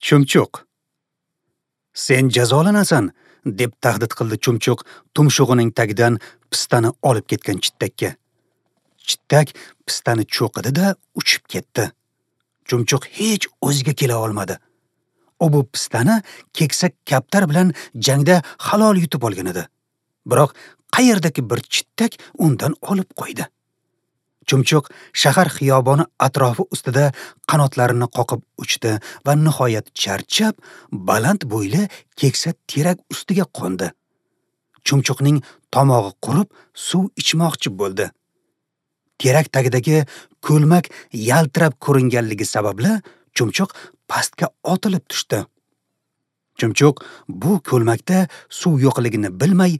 Chumchuq. "Sen jazolanasan", deb tahdid qildi chumchuq tumshug'ining tagidan pistani olib ketgan chittakka. Chittak pistani cho'qidi-da uchib ketdi. Chumchuq hech o'ziga kela olmadi. U bu pistani keksa kaptar bilan jangda halol yutib olgan edi. Biroq qayerdagi bir chittak undan olib qo'ydi. Chumchuq shahar xiyoboni atrofi ustida qanotlarini qoqib uchdi va nihoyat charchab baland bo'yli keksa terak ustiga qo'ndi. Chumchuqning tomog'i qurib suv ichmoqchi bo'ldi. Terak tagidagi ko'lmak yaltirab ko'ringanligi sababli chumchuq pastga otilib tushdi. Chumchuq bu ko'lmakda suv yo'qligini bilmay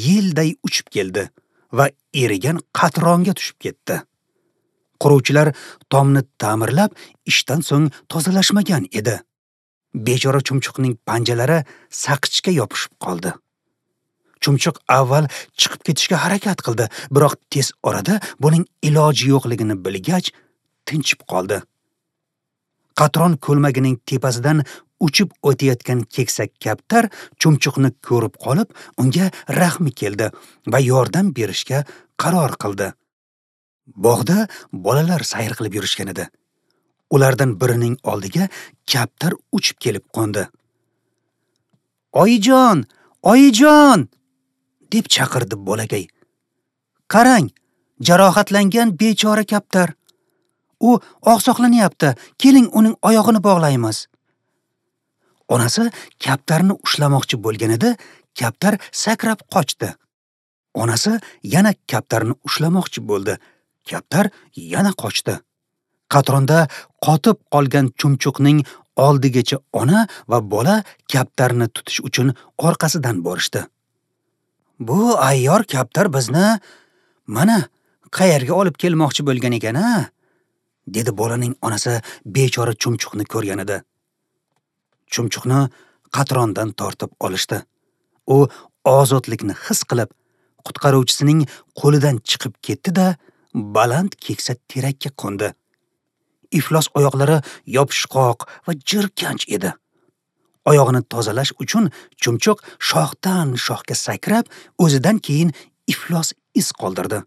yelday uchib keldi va erigan qatronga tushib ketdi. Quruvchilar tomni ta'mirlab, ishdan so'ng tozalashmagan edi. Bechora chumchuqning panjalari saqichga yopishib qoldi. Chumchuq avval chiqib ketishga harakat qildi, biroq tez orada buning iloji yo'qligini bilgach, tinchib qoldi. Qatron ko'lmagining tepasidan uchib o'tayotgan keksa kaptar chumchuqni ko'rib qolib, unga rahmi keldi va yordam berishga qaror qildi. Bog'da bolalar sayr qilib yurishgan edi. Ulardan birining oldiga kaptar uchib kelib qo'ndi. "Oyijon, oyijon!" deb chaqirdi bolakay. "Qarang, jarohatlangan bechora kaptar. U oqsoqlanyapti. Keling, uning oyog'ini bog'laymiz." Onasi kaptarni ushlamoqchi bo'lganida kaptar sakrab qochdi. Onasi yana kaptarni ushlamoqchi bo'ldi. Kaptar yana qochdi. Qatronda qotib qolgan chumchuqning oldigacha ona va bola kaptarni tutish uchun orqasidan borishdi. "Bu ayyor kaptar bizni mana qayerga olib kelmoqchi bo'lgan ekan-a?" dedi bolaning onasi bechora chumchuqni ko'rganida. Chumchuqni qatrondan tortib olishdi. U ozodlikni his qilib, qutqaruvchisining qo'lidan chiqib ketdi-da, baland keksa terakka qo'ndi. Iflos oyoqlari yopishqoq va jirkanch edi. Oyog'ini tozalash uchun chumchuq shoxdan shoxga sakrab, o'zidan keyin iflos iz qoldirdi.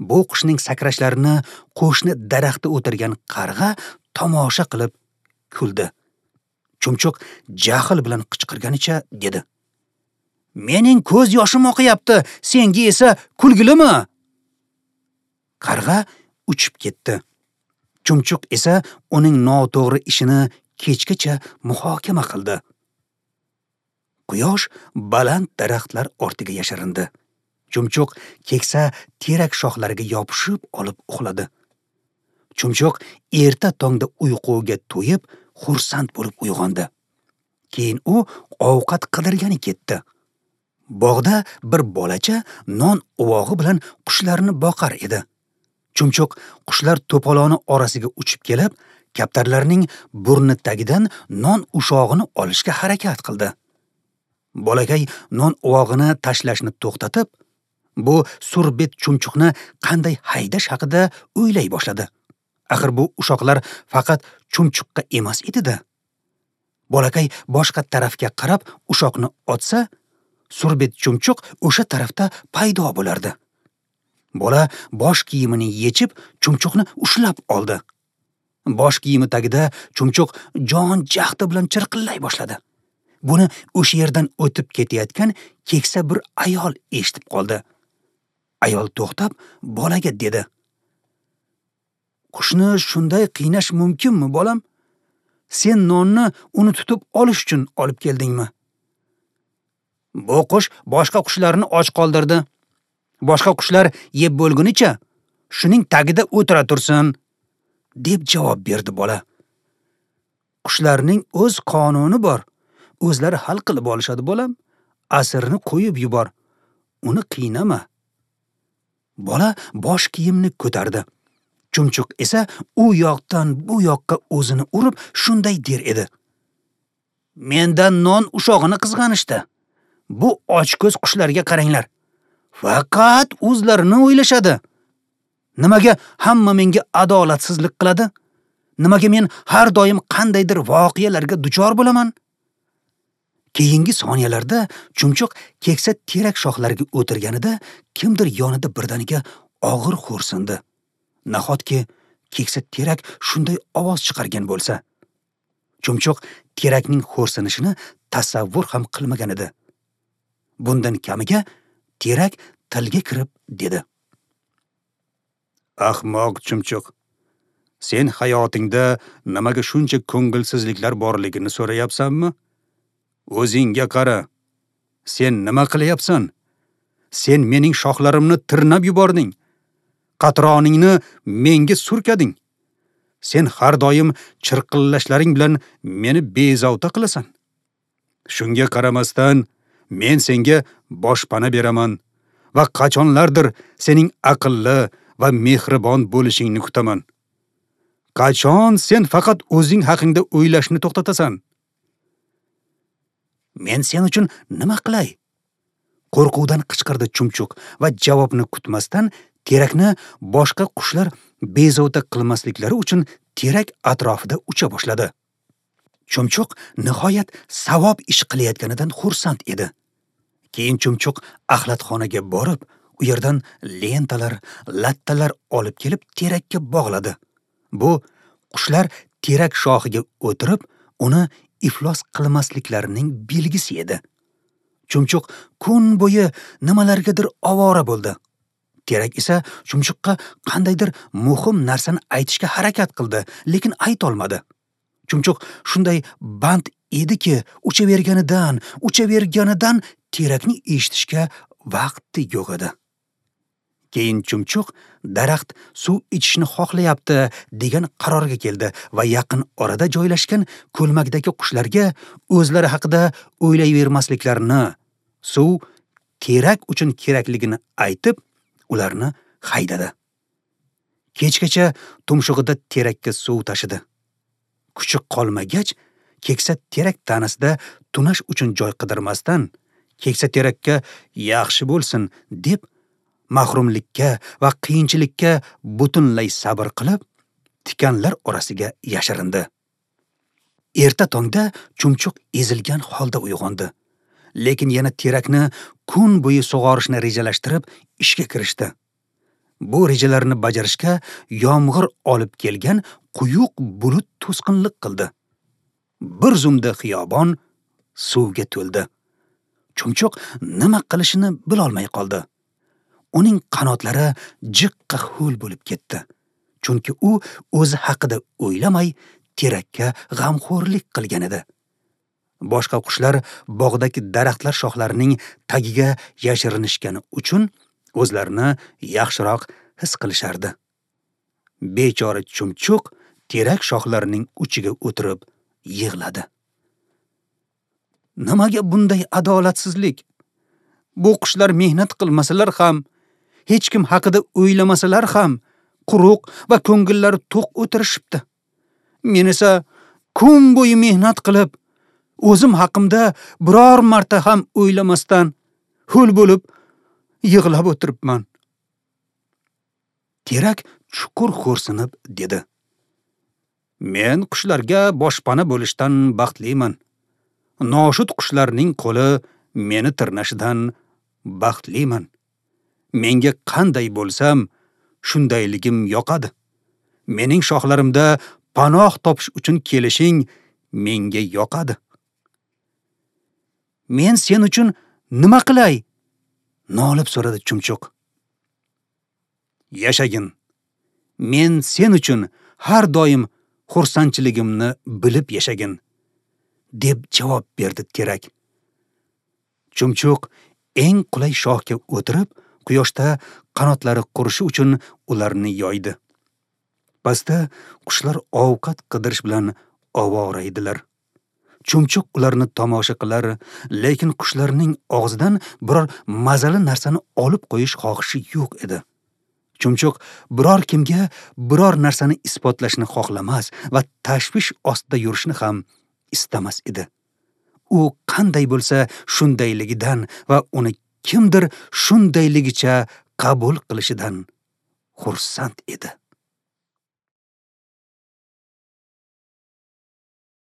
Bu qushning sakrashlarini qo'shni daraxtda o'tirgan qarg'a tomosha qilib kuldi. Chumchuq jahl bilan qichqirganicha dedi: "Mening ko'z yoshim oqyapti, senga esa kulgilimi?" Qarg'a uchib ketdi. Chumchuq esa uning noto'g'ri ishini kechgacha muhokama qildi. Quyosh baland daraxtlar ortiga yashirindi. Chumchuq keksa terak shoxlariga yopishib olib uxladi. Chumchuq erta tongda uyquga to'yib, xursand bo'lib uyg'ondi. Keyin u ovqat qidirgani ketdi. Bog'da bir bolacha non uvog'i bilan qushlarni boqar edi. Chumchuq qushlar to'poloni orasiga uchib kelib, kaptarlarning burni tagidan non ushog'ini olishga harakat qildi. Bolakay non uvog'ini tashlashni to'xtatib, bu surbet chumchuqni qanday haydash haqida o'ylay boshladi. Axir bu ushoqlar faqat chumchuqqa emas edi-da. Bolakay boshqa tarafga qarab ushoqni otsa, surbet chumchuq o'sha tarafda paydo bo'lardi. Bola bosh kiyimini yechib, chumchuqni ushlab oldi. Bosh kiyimi tagida chumchuq jon jahdi bilan chirqillay boshladi. Buni o'sha yerdan o'tib ketayotgan keksa bir ayol eshitib qoldi. Ayol to'xtab bolaga dedi: "Qushni shunday qiynash mumkinmi, bolam? Sen nonni uni tutib olish uchun olib keldingmi? Bu qush boshqa qushlarni och qoldirdi. Boshqa qushlar yeb bo'lgunicha shuning tagida o'tira tursin", deb javob berdi bola. "Qushlarning o'z qonuni bor. O'zlari hal qilib olishadi, bolam. Asirni qo'yib yubor. Uni qiynama." Bola bosh kiyimni ko'tardi. Chumchuq esa u yoqdan bu yoqqa o'zini urib shunday der edi: "Mendan non ushog'ini qizg'anishdi. Bu ochko'z qushlarga qaranglar. Faqat o'zlarini o'ylashadi. Nimaga hamma menga adolatsizlik qiladi? Nimaga men har doim qandaydir voqealarga duchor bo'laman? Keyingi soniyalarda chumchuq keksa terak shoxlariga o'tirganida kimdir yonida birdaniga og'ir xo'rsindi. Nahotki keksa terak shunday ovoz chiqargan bo'lsa? Chumchuq terakning xo'rsinishini tasavvur ham qilmagan edi. Bundan kamiga terak tilga kirib dedi: "Ahmoq chumchuq, sen hayotingda nimaga shuncha ko'ngilsizliklar borligini so'rayapsanmi? O'zingga qara. Sen nima qilyapsan? Sen mening shoxlarimni tirnab yubording. Qatroningni menga surkading. Sen har doim chirqillashlaring bilan meni bezovta qilasan. Shunga qaramasdan men senga boshpana beraman va qachonlardir sening aqlli va mehribon bo'lishingni kutaman. Qachon sen faqat o'zing haqingda o'ylashni to'xtatasan? Men sen uchun nima qilay?" Qo'rquvdan qichqirdi chumchuq va javobni kutmasdan terakni boshqa qushlar bezovta qilmasliklari uchun terak atrofida ucha boshladi. Chumchuq nihoyat savob ish qilayotganidan xursand edi. Keyin chumchuq axlatxonaga borib, u yerdan lentalar, lattalar olib kelib terakka bog'ladi. Bu qushlar terak shoxiga o'tirib, uni iflos qilmasliklarining belgisi edi. Chumchuq kun bo'yi nimalargadir ovora bo'ldi. Terak esa chumchuqqa qandaydir muhim narsani aytishga harakat qildi, lekin aytolmadi. Chumchuq shunday band ediki, uchaverganidan terakni eshitishga vaqti yo'q edi. Keyin chumchuq daraxt suv ichishni xohlayapti degan qarorga keldi va yaqin orada joylashgan ko'lmakdagi qushlarga o'zlari haqida o'ylayvermasliklarini, suv terak uchun kerakligini aytib, ularni haydadi. Kechgacha tumshug'ida terakka suv tashidi. Kuchi qolmagach, keksa terak tanasida tunash uchun joy qidirmasdan, keksa terakka yaxshi bo'lsin deb mahrumlikka va qiyinchilikka butunlay sabr qilib, tikanlar orasiga yashirindi. Erta tongda chumchuq ezilgan holda uyg'ondi. Lekin yana terakni kun bo'yi sug'orishni rejalashtirib ishga kirishdi. Bu rejalarni bajarishga yomg'ir olib kelgan quyuq bulut to'sqinlik qildi. Bir zumda xiyobon suvga to'ldi. Chumchuq nima qilishini bilolmay qoldi. Uning qanotlari jiqqa ho'l bo'lib ketdi. Chunki u o'zi haqida o'ylamay terakka g'amxo'rlik qilgan edi. Boshqa qushlar bog'dagi daraxtlar shoxlarining tagiga yashirinishgani uchun o'zlarini yaxshiroq his qilishardi. Bechora chumchuq terak shoxlarining uchiga o'tirib yig'ladi. Nimaga bunday adolatsizlik? Bu qushlar mehnat qilmasalar ham, hech kim haqida o'ylamasalar ham, quruq va ko'ngillari to'q o'tirishibdi. Men esa kun bo'yi mehnat qilib, o'zim haqimda biror marta ham o'ylamasdan ho'l bo'lib yig'lab o'tiribman. Terak chuqur xo'rsinib dedi: Men qushlarga boshpana bo'lishdan baxtliman. Noshud qushlarning qo'li meni tirnashidan baxtliman. Menga qanday bo'lsam, shundayligim yoqadi. Mening shoxlarimda panoh topish uchun kelishing menga yoqadi. Men sen uchun nima qilay? Nolib so'radi chumchuq. Yashagin. Men sen uchun har doim xursandchiligimni bilib yashagin, deb javob berdi terak. Chumchuq eng qulay shoxga o'tirib, quyoshda qanotlari qurishi uchun ularni yoydi. Pastda qushlar ovqat qidirish bilan ovora edilar. Chumchuq ularni tomosha qilar, lekin qushlarning og'zidan biror mazali narsani olib qo'yish xohishi yo'q edi. Chumchuq biror kimga biror narsani isbotlashni xohlamas va tashvish ostida yurishni ham istamas edi. U qanday bo'lsa shundayligidan va uni kimdir shundayligicha qabul qilishidan xursand edi.